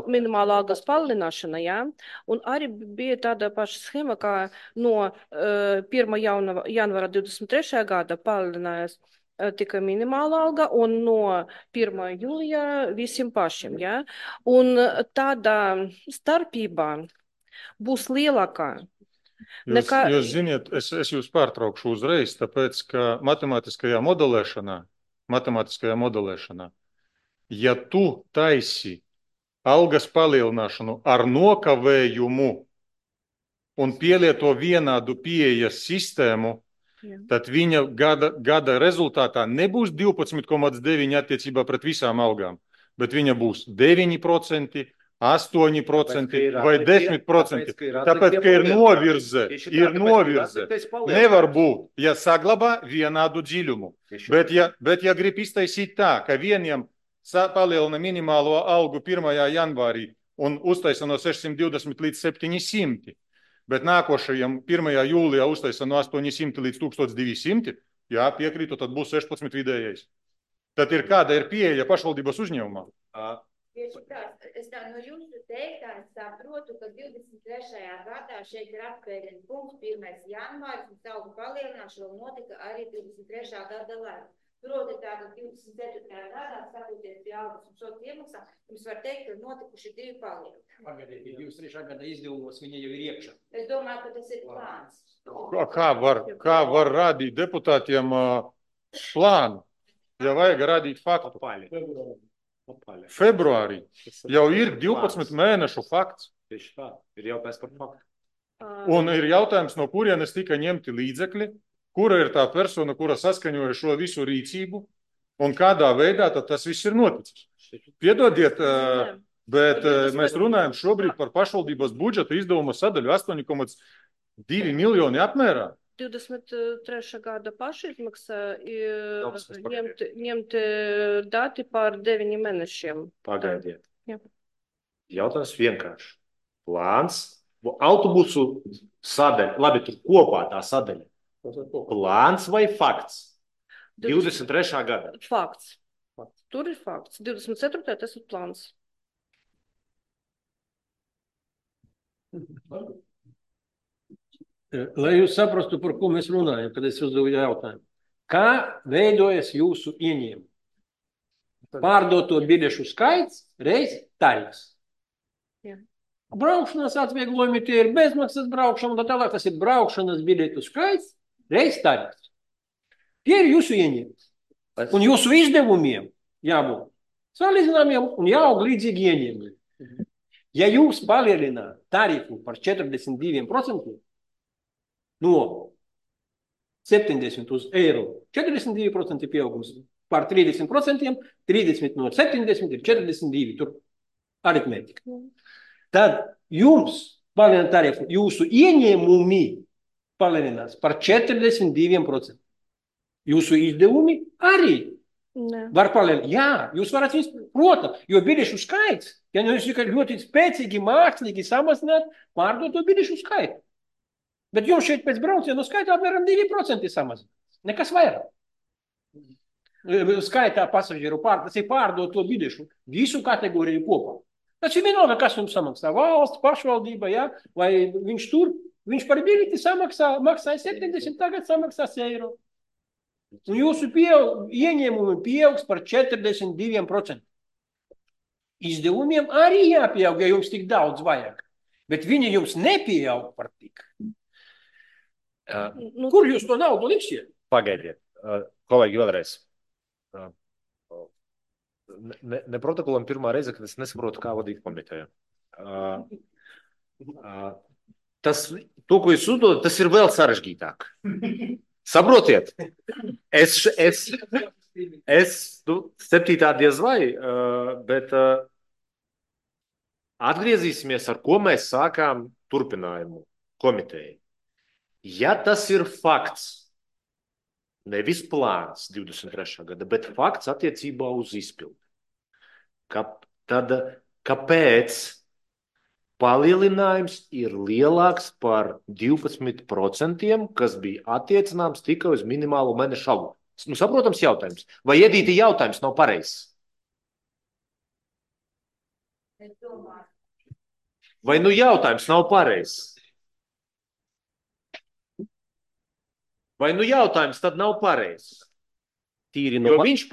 minimālā algas palielināšana, jā, un arī bija tāda paša schēma, kā no 1. janvara 23. gada palielinājās tikai minimāla alga un no 1. jūlijā visiem pašiem, jā, un tāda starpība būs lielākā. Jūs ziniet, es jūs pārtraukšu uzreiz, tāpēc, ka matemātiskajā modelēšanā, ja tu taisi algas palielināšanu ar nokavējumu un pielieto vienādu pieejas sistēmu, tad viņa gada rezultātā nebūs 12,9 attiecībā pret visām algām, bet viņa būs 9%, 8% vai 10%. Tāpēc, ka ir novirze. Nevar būt, ja saglabā vienādu dziļumu. Bet ja grib iztaisīt tā, ka vieniem palielina minimālo algu 1. janvārī un uztaisa no 620 līdz 700, bet nākošajam 1. jūlijā uztaisa no 800 līdz 1200, jā, piekrītu, tad būs 16 vidējais. Tad kāda ir pieeja pašvaldības uzņēmumā? Tieši tā, es tā no jūsu teiktā saprotu, ka 23. gadā šeit ir atpēļņu punkts 1. janvāris un algu palielināšana notika arī 23. gada laikā. Proti tātad 24. gadā, skatoties pie algas un sots iemaksām, jums var teikt, ka notikuši 2 palielinājumi. Pagaidiet, 23. gada izdevumos viņa jau ir iekšā. Es domāju, ka tas ir plāns. Kā var rādīt deputātiem plānu, ja vajag rādīt faktu? Februārī jau ir 12 mēnešu fakts. Tieši tā, ir jautājums par faktu. Un ir jautājums, no kurienes tika ņemti līdzekļi, kura ir tā persona, kura saskaņoja šo visu rīcību, un kādā veidā tad tas viss ir noticis. Piedodiet, bet mēs runājam šobrīd par pašvaldības budžeta izdevuma sadaļu 8,2 miljoni apmērā. 23. gada pašizmaksa ņemt dati par 9 mēnešiem. Pagaidiet. Jautājums vienkārši. Plāns, autobusu sadaļa, labi, tur kopā tā sadaļa. Plāns vai fakts? 23. gada. Fakts. Tur ir fakts. 24. tas ir plāns. Lai jūs saprastu, par ko mēs runājam, kad es uzdevu jautājumu. Kā veidojas jūsu ieņēmumi? Pārdoto biļešu skaits reiz tarifs. Jā. Braukšanas atvieglojumi tie ir bezmaksas braukšana, un tā tālāk tas ir braukšanas biļetu skaits reiz tarifs. Tie ir jūsu ieņēmumi. Un jūsu izdevumiem jābūt salīdzināmiem un jāaug līdzīgi ieņēmumiem. Ja jūs palielināt tarifu par 42%, no 70 uz eiro, 42% pieaugums par 30%, 30 no 70 ir 42, tur aritmētika. Tad jums palielināt tarifu, jūsu ieņēmumi palielinās par 42%. Jūsu izdevumi arī var palielināt. Jā, jūs varat viņus, protams, jo biļešu skaits, ja jūs ļoti spēcīgi mākslīgi samazināt pārdoto biļešu skaitu. Bet jums šeit pēc braucienu skaitā apmēram 2% samazinās. Nekas vairāk. Skaitā pasažieru tas ir pārdoto biļešu visu kategoriju kopā. Tas ir vienalga, kas jums samaksā. Valsts, pašvaldība, ja? Vai viņš tur, viņš par biļeti maksāja 70, tagad samaksās eiro. Un jūsu ieņēmumi pieaugs par 42%. Izdevumiem arī jāpieaug, ja jums tik daudz vajag. Bet viņi jums nepieaug par tik. Kur jūs to naudu liksiet? Pagaidiet, kolēģi, vēlreiz. Ne protokolam pirmā reize, kad es nesaprotu, kā vadīt komiteju. To, ko jūs uzdodat, tas ir vēl sarežģītāk. Saprotiet? Es 7. diez vai, bet atgriezīsimies, ar ko mēs sākām turpinājumu komiteju. Ja tas ir fakts, nevis plāns 23. gada, bet fakts attiecībā uz izpildi, tad kāpēc palielinājums ir lielāks par 12%, kas bija attiecināms tikai uz minimālo mēnešu algu? Nu, saprotams jautājums. Vai Edīte jautājums nav pareizs? Vai nu jautājums nav pareizs? Vai nu jautājums tad nav pareizs? Jo viņi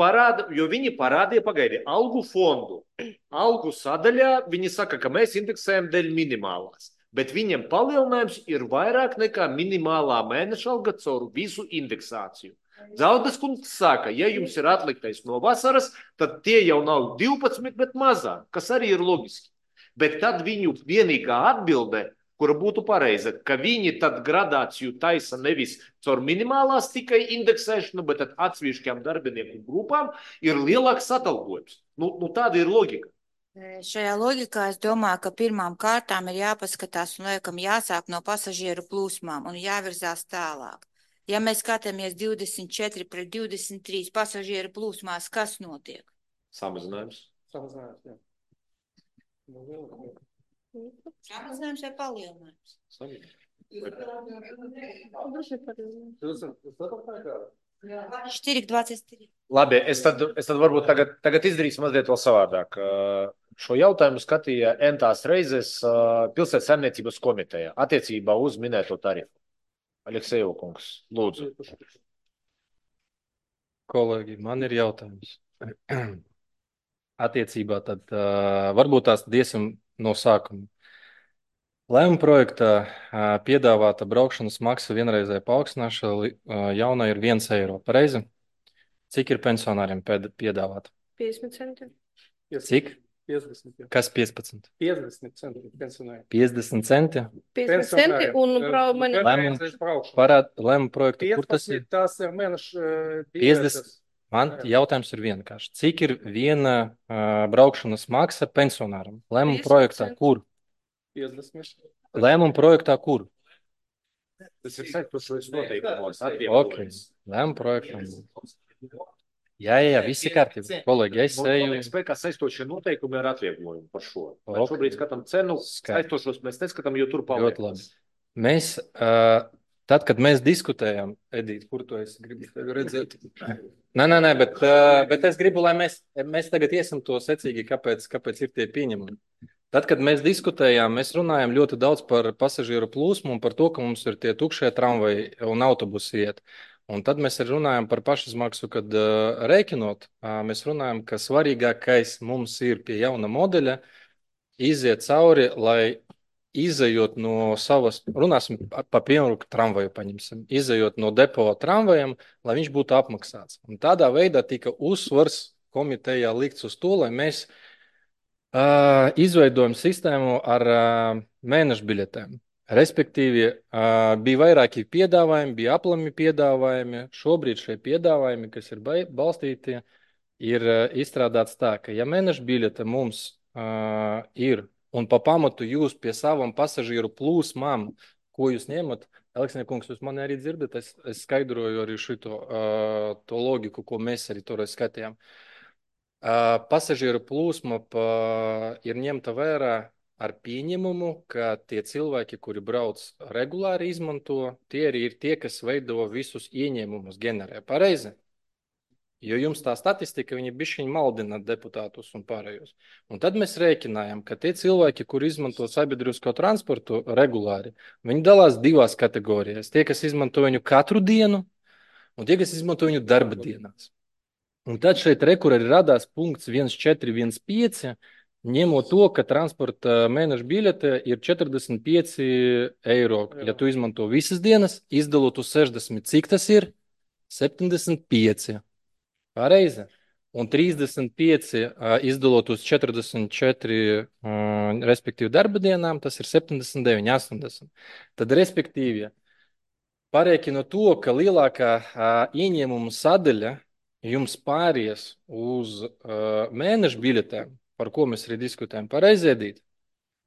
parādīja, pagaidi, algu fondu. Algu sadaļā viņi saka, ka mēs indeksējam dēļ minimālās. Bet viņiem palielinājums ir vairāk nekā minimālā mēneša alga caur visu indeksāciju. Zaudas kungs saka, ja jums ir atliktais no vasaras, tad tie jau nav 12, bet mazāk, kas arī ir loģiski. Bet tad viņu vienīgā atbilde, kura būtu pareiza, ka viņi tad gradāciju taisa nevis caur minimālās tikai indeksēšanu, bet tad atsevišķām darbinieku grupām ir lielāks atalgojums. Nu, tāda ir loģika. Šajā loģikā es domāju, ka pirmām kārtām ir jāpaskatās un laikam jāsāk no pasažieru plūsmām un jāvirzās tālāk. Ja mēs skatāmies 24 pret 23 pasažieru plūsmās, kas notiek? Samazinājums. Samazinājums vai palielinājums? 4,23. Labi, es tad varbūt tagad izdarīsim mazliet vēl savādāk. Šo jautājumu skatīja entās reizes Pilsētas saimniecības komiteja attiecībā uz minēto tarifu. Aleksejeva kungs, lūdzu. Kolēģi, man ir jautājums. Attiecībā tad varbūt tās iesim no sākuma. Lēmuma projektā piedāvāta braukšanas maksa vienreizēja paaugstināšana jaunā ir 1 eiro. Pareizi? Cik ir pensionāriem piedāvāta? 50 centi. Cik? 50. Kas 15? 50 centi pensionāri. 50 centi? 50 centi un lēmuma projekta, kur tas ir? Tas ir mēneša 50. Man jautājums ir vienkārši. Cik ir viena braukšanas maksa pensionāram? Lēmuma projektā kur? 50. Lēmuma projektā kur? Tas ir saistīts noteikumos. Okay. Lēmuma projektā. Jā, visi kārtībā. Kolēģi, ja es eju... Spēkā saistošie noteikumi ar atvieglojumu par šo. Okay. Šobrīd skatām cenu, saistošos mēs neskatām, jo tur paliek. Ļoti labi. Mēs, tad, kad mēs diskutējām, Edīt, kur tu esi gribi redzēt? Nē, bet es gribu, lai mēs tagad iesim to secīgi, kāpēc ir tie pieņemumi. Tad, kad mēs diskutējām, mēs runājām ļoti daudz par pasažieru plūsmu un par to, ka mums ir tie tukšie tramvaji un autobusi iet. Un tad mēs arī runājam par pašizmaksu, kad rēķinot, mēs runājam, ka svarīgākais mums ir pie jauna modeļa iziet cauri, lai izejot no savas, runāsim pa piemēru tramvaju paņemsim, izejot no depo tramvajam, lai viņš būtu apmaksāts. Un tādā veidā tika uzsvars komitejā likts uz to, lai mēs izveidojam sistēmu ar mēnešu biļetēm. Respektīvi, bija vairāki piedāvājumi, bija aplami piedāvājumi. Šobrīd šie piedāvājumi, kas ir balstīti, ir izstrādāts tā, ka ja mēnešu biļete mums ir un pa pamatu jūs pie savam pasažieru plūsmām, ko jūs ņemat, Aleksandr kungs, jūs mani arī dzirdat, es skaidroju arī šito to logiku, ko mēs arī toreiz skatījām. Pasažieru plūsma ir ņemta vērā ar pieņemumu, ka tie cilvēki, kuri brauc regulāri izmanto, tie arī ir tie, kas veido visus ieņēmumus, generē. Pareizi? Jo jums tā statistika, viņi bišķiņ maldina deputātus un pārējos. Un tad mēs rēķinājām, ka tie cilvēki, kuri izmanto sabiedrisko transportu regulāri, viņi dalās divās kategorijās. Tie, kas izmanto viņu katru dienu, un tie, kas izmanto viņu darba dienās. Un tad šeit rekur arī radās punkts 1415, ņemot to, ka transporta mēneša biļete ir 45 eiro. Ja tu izmanto visas dienas, izdalot uz 60, cik tas ir? 75. Pareizi. Un 35 izdalot uz 44, respektīvi darba dienām, tas ir 79, 80. Tad, respektīvi, parēķinot to, ka lielākā ieņēmuma sadaļa jums pāries uz mēnešu biļetēm, par ko mēs arī diskutējam, pareiziedīt,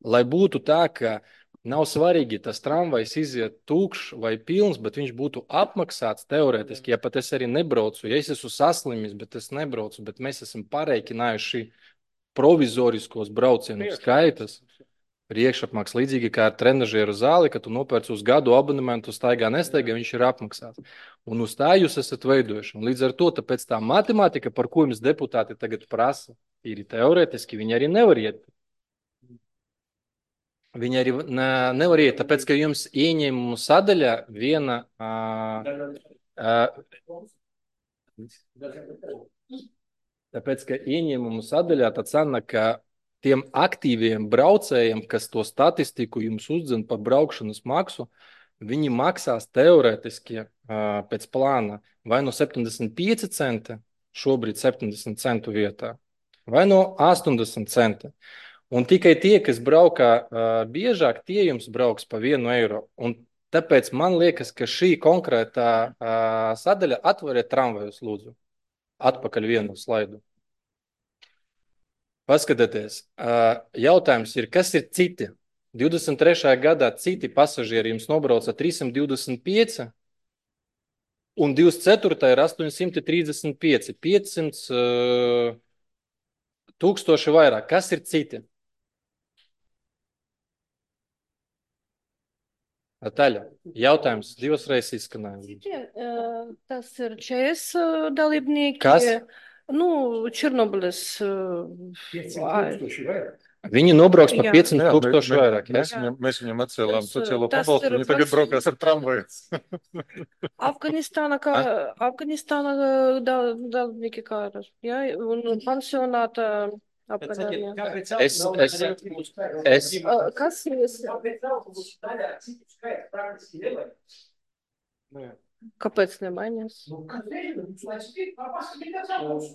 lai būtu tā, ka nav svarīgi tas tramvajs iziet tukšs vai pilns, bet viņš būtu apmaksāts teorētiski, ja pat es arī nebraucu, ja es esmu saslimis, bet es nebraucu, bet mēs esam pareiķinājuši provizoriskos braucienu skaitas, priekšapmaks līdzīgi kā ar trenažieru zāli, ka tu nopērci uz gadu abonementu, staigā nestaigā, viņš ir apmaksāts. Un uz tā jūs esat veidojuši. Un līdz ar to, tāpēc tā matemātika, par ko jums deputāti tagad prasa, ir teorētiski, viņi arī nevar iet. Viņi arī nevar iet, tāpēc, ka jums ieņēmumu sadaļa viena... Tāpēc, ka ieņēmumu sadaļā tā cena, ka tiem aktīviem braucējiem, kas to statistiku jums uzdzen par braukšanas maksu, viņi maksās teorētiski pēc plāna vai no 75 centi, šobrīd 70 centu vietā, vai no 80 centi. Un tikai tie, kas braukā biežāk, tie jums brauks pa 1 eiro. Un tāpēc man liekas, ka šī konkrētā sadaļa atveriet tramvajus, lūdzu. Atpakaļ vienu slaidu. Paskatieties, jautājums ir, kas ir citi? 23. gadā citi pasažieri jums nobrauca 325 un 24. ir 835, 500 tūkstoši vairāk. Kas ir citi? Taļa, jautājums 2 reizes izskanēja. Tas ir 4 dalībnieki. Kas? Nu, Černobilis. Viņi nobrauks par 500 tūkstoši vairāk. Mēs viņam atcēlām sociālo pabalstu, viņi tagad braukās ar tramvaju. Afganistāna dalībnieki kā ir. Ja? Un pansionāta apgadājumā. Kas ir? Kāpēc nemainās?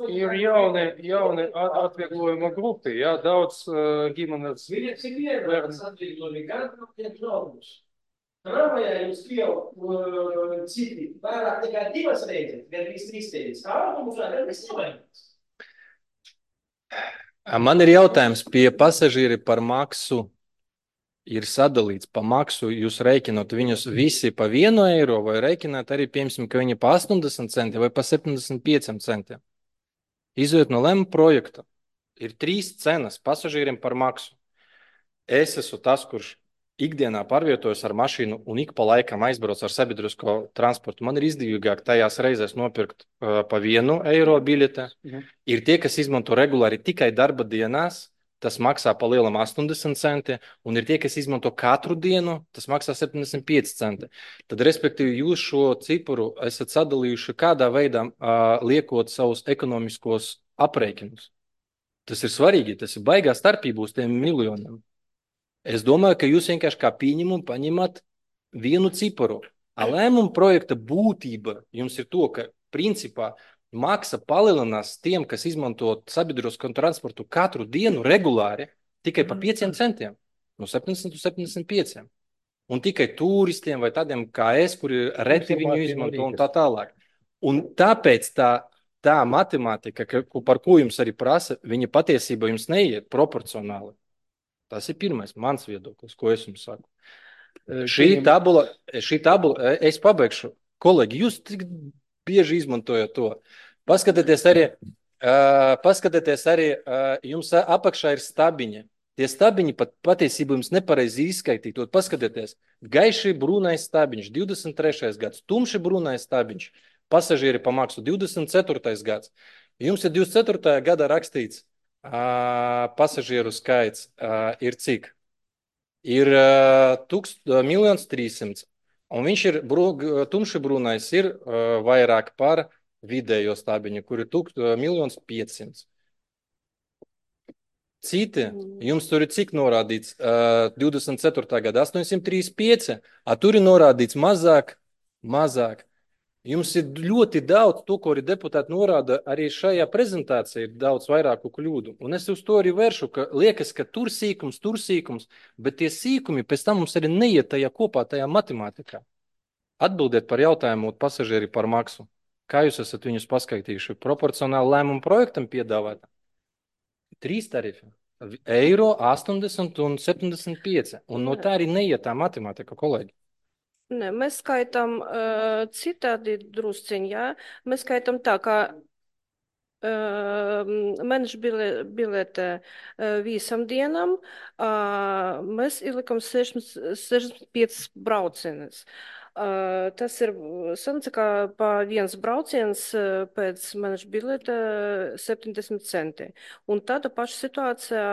Ir jauni atvieglojuma grupi, jā, daudz ģimenes. Tramvajā jums pieaug citi vairāk nekā 2 reizes, gandrīz 3 reizes. Kā autobusā gandrīz nemainās? Man ir jautājums pie pasažieri par maksu. Ir sadalīts pa maksu, jūs rēķinot viņus visi pa 1 eiro vai rēķināt arī, piemēram, ka viņi pa 80 centi vai pa 75 centiem. Izejot no lēmuma projekta, ir 3 cenas pasažieriem par maksu. Es esmu tas, kurš ikdienā pārvietojas ar mašīnu un ik pa laikam aizbrauc ar sabiedrisko transportu. Man ir izdevīgāk tajās reizēs nopirkt pa 1 eiro biļete. Ir tie, kas izmanto regulāri tikai darba dienās, tas maksā pa lielam 80 centi, un ir tie, kas izmanto katru dienu, tas maksā 75 centi. Tad, respektīvi, jūs šo cipuru esat sadalījuši kādā veidā liekot savus ekonomiskos aprēķinus. Tas ir svarīgi, tas ir baigā starpība uz tiem miljoniem. Es domāju, ka jūs vienkārši kā pieņemumu paņemat vienu ciparu. Lēmuma projekta būtība jums ir to, ka principā maksa palielinās tiem, kas izmanto sabiedrisko transportu katru dienu regulāri tikai pa 5 centiem, no 70 uz 75. Un tikai turistiem vai tādiem kā es, kuri reti viņu izmanto un tā tālāk. Un tāpēc tā matemātika, par ko jums arī prasa, viņa patiesībā jums neiet proporcionāli. Tas ir pirmais mans viedoklis, ko es jums saku. Šī tabula, es pabeigšu. Kolēģi, jūs tik bieži izmantojat to. Paskatieties arī, jums apakšā ir stabiņi. Tie stabiņi patiesībā jums nepareizi izskaitītot. Paskatieties, gaiši brūnais stabiņš, 23. gads, tumši brūnais stabiņš, pasažieri pa maksu, 24. gads. Jums ir 24. gadā rakstīts, pasažieru skaits ir cik? Ir 1 300 000, un viņš ir tumši brūnais, ir vairāk par vidējo stabiņu, kur ir 1 500 000. Citi, jums tur ir cik norādīts 24. gada 835, tur ir norādīts mazāk. Jums ir ļoti daudz, to, ko arī deputāti norāda, arī šajā prezentācijā ir daudz vairāku kļūdu. Un es uz to arī vēršu, ka liekas, ka tur sīkums, bet tie sīkumi pēc tam mums arī neiet tajā kopā, tajā matemātikā. Atbildiet par jautājumu pasažieri par maksu. Kā jūs esat viņus paskaitījuši? Proporcionāli lēmumu projektam piedāvāt? 3 tarifi. Eiro, 80 un 75. Un no tā arī neiet tā matemātika, kolēģi. Ne, mēs skaitām citādi drusciņi, jā. Mēs skaitām tā, kā mēneša bilete visam dienam, mēs ielikam 65 braucienes. Tas ir sanāca, ka pa viens brauciens pēc mēneša bilete 70 centi. Un tāda paša situācija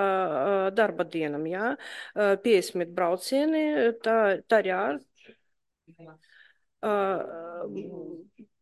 darba dienam, jā. 50 braucieni, tā arī